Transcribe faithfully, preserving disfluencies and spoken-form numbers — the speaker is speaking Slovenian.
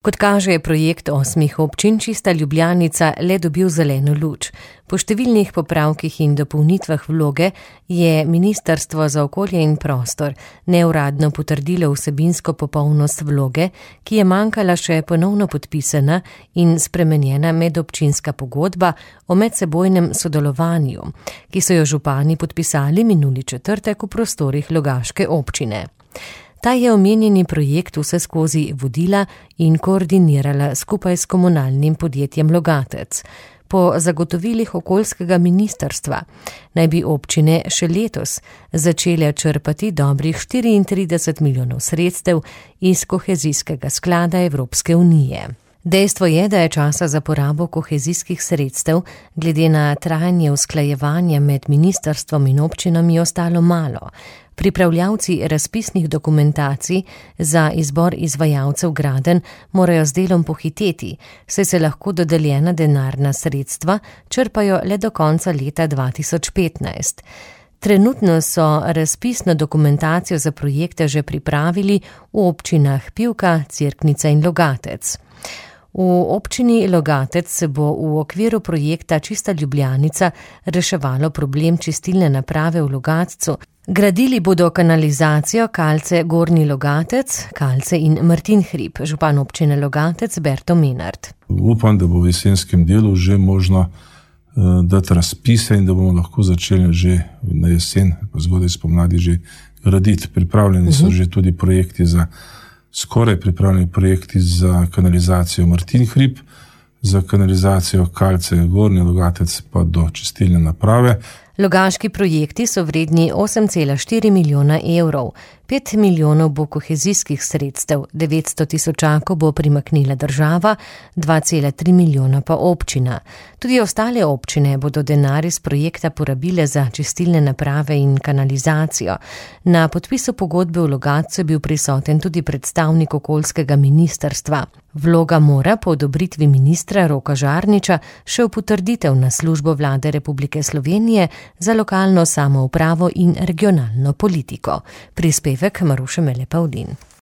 Kot kaže, je projekt osmih občin Čista Ljubljanica le dobil zeleno luč. Po številnih popravkih in dopolnitvah vloge je Ministrstvo za okolje in prostor neuradno potrdilo vsebinsko popolnost vloge, ki je manjkala še ponovno podpisana in spremenjena medobčinska pogodba o medsebojnem sodelovanju, ki so jo župani podpisali minuli četrtek v prostorih Logaške občine. Ta je omenjeni projekt vseskozi vodila in koordinirala skupaj s komunalnim podjetjem Logatec. Po zagotovilih okoljskega ministrstva naj bi občine še letos začele črpati dobrih štiriintrideset milijonov sredstev iz kohezijskega sklada Evropske unije. Dejstvo je, da je časa za porabo kohezijskih sredstev glede na trajanje usklajevanja med ministrstvom in občinami ostalo malo. Pripravljavci razpisnih dokumentacij za izbor izvajalcev gradenj morajo z delom pohiteti, saj se lahko dodeljena denarna sredstva črpajo le do konca leta dva tisoč petnajst. Trenutno so razpisno dokumentacijo za projekte že pripravili v občinah Pivka, Cerknica in Logatec. V občini Logatec se bo v okviru projekta Čista Ljubljanica reševalo problem čistilne naprave v Logatcu. Gradili bodo kanalizacijo Kalce Gornji Logatec, Kalce in Martin Hrib, župan občine Logatec Berto Menard. Upam, da bo v jesenskem delu že možno uh, dati razpise in da bomo lahko začeli že na jesen, pa zgodaj spomladi že graditi. Pripravljeni so uh-huh. že tudi projekti za skoraj pripravljeni projekti za kanalizacijo Martin Hrib, za kanalizacijo Kalce Gornji Logatec pa do čistilne naprave. Logaški projekti so vredni osem cela štiri milijona evrov, pet milijonov bo kohezijskih sredstev, devetsto tisočakov bo primaknila država, dva cela tri milijona pa občina. Tudi ostale občine bodo denar iz projekta porabile za čistilne naprave in kanalizacijo. Na podpisu pogodbe v Logatcu je bil prisoten tudi predstavnik okoljskega ministrstva. Vloga mora po odobritvi ministra Roka Žarniča še v potrditev na službo Vlade Republike Slovenije za lokalno samoupravo in regionalno politiko. Prispevek Maruše Mele Pavlin.